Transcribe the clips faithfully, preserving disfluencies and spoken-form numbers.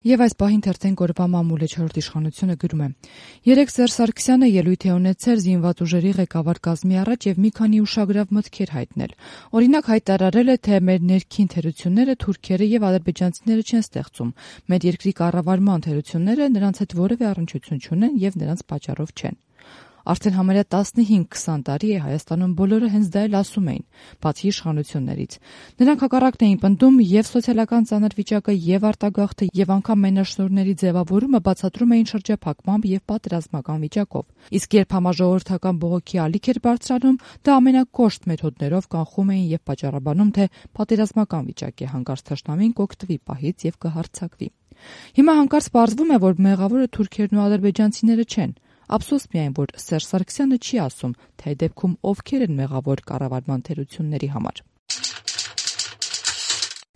Եվ այս պահին թերթեն կորվա մամուլը չորրորդ իշխանությունը գրում է. Երեկ Սերժ Սարգսյանը ելույթ է ունեցել զինված ուժերի ղեկավար կազմի առաջ եւ մի քանի ուշագրավ մտքեր հայտնել։ Օրինակ հայտարարել է, թե մեր ներքին թերությունները թուրքերը եւ ադրբեջանցիները չեն ստեղծում։ Մեր երկրի կառավարման թերությունները նրանց հետ որևէ առնչություն չունեն եւ նրանց պատճառով չեն։ Արդեն համարյա տասնհինգ քսան տարի է Հայաստանում բոլորը հենց դա էլ ասում էին, բացի իշխանություններից։ Նրանք հակառակն էին պնդում եւ սոցիալական ծանր վիճակը եւ արտագաղթը եւ անգամ մենաշնորհների ձևավորումը բացատրում էին շրջափակմամբ եւ պատերազմական վիճակով։ Իսկ երբ համաժողովրդական բողոքի ալիք էր բարձրանում, դա ամենակոշտ մեթոդներով կանխում էին եւ պատճառաբանում, թե պատերազմական վիճակ է, հանկարծ թշնամին կօգտվի պահից եւ կհարձակվի։ Հիմա հանկարծ պարզվում է, որ մեղավորը թուրքերն ու ադրբեջանցիները չեն։ Ափսոս միայն, որ Սերժ Սարգսյանը չի ասում, թե այդ դեպքում ովքեր են մեղավոր կառավարման թերությունների համար։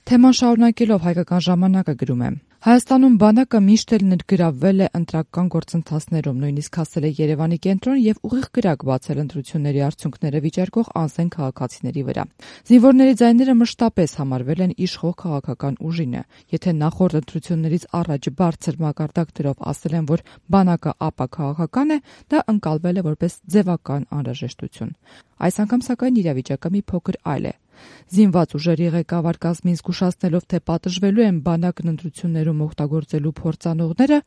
Թեման շարունակելով Հայկական ժամանակը գրում է. Հայաստանում բանակը միշտ էլ ներգրավվել է ընտրական գործընթացներում, նույնիսկ հասել է Երևանի կենտրոն եւ ուղիղ կրակ բացել ընտրությունների արդյունքները վիճարկող անզեն քաղաքացիների վրա։ Զինվորների ձայները մշտապես համարվել են իշխող քաղաքական ուժինը։ Եթե նախորդ ընտրություններից առաջ բարձր մակարդակ դրով ասել են, որ բանակը ապա քաղաքական է, դա ընկալվել է որպես ձևական անհրաժեշտություն։ Այս անգամ սակայն իրավիճակը մի փոքր այլ է։ Զինված ուժերի ղեկավար կազմին զգուշացնելով, թե պատժվելու են բանակն ընտրություններում օգտագործելու փորձանողները,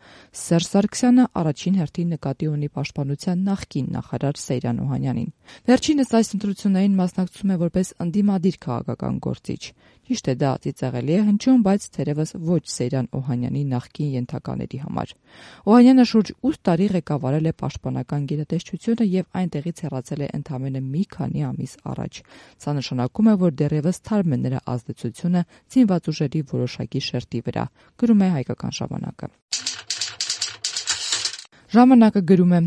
Սերժ Սարգսյանը առաջին հերթին նկատի ունի պաշտպանության նախկին նախարար Սեյրան Օհանյանին։ Վերջինս այս ընտրություններին մասնակցում է որպես ընդդիմադիր քաղաքական գործիչ։ Ճիշտ է, դա ծիծաղելի է հնչում, բայց թերևս ոչ Սեյրան Օհանյանի նախկին ենթակաների համար։ Օհանյանը շուրջ ութ տարի ղեկավարել է պաշտպանական գերատեսչությունը եւ այնտեղից հեռացել է ընդամենը մի քանի ամիս առաջ։ Սա նշանակում է, որ դեռևս թարմ է նրա ազդեցությունը զինված ուժերի որոշակի շերտի վրա, գրում է Հայկական ժամանակը։ Ժամանակը գրում է.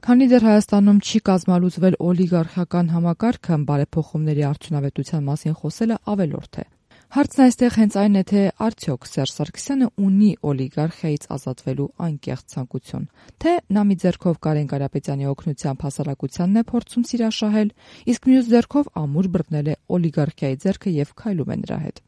Քանի դեռ Հայաստանում չի կազմալուծվել օլիգարխիական համակարգը, բարեփոխումների արդյունավետության մասին խոսելը ավելորդ է։ Հարցն այստեղ հենց այն է, թե արդյոք Սերժ Սարգսյանը ունի օլիգարխիայից ազատվելու անկեղծ ցանկություն, թե նա մի ձեռքով Կարեն Կարապետյանի օգնությամբ հասարակությանն է փորձում սիրաշահել, իսկ մյուս ձեռքով ամուր բռնել է օլիգարխիայի ձեռքը եւ քայլում է նրա հետ։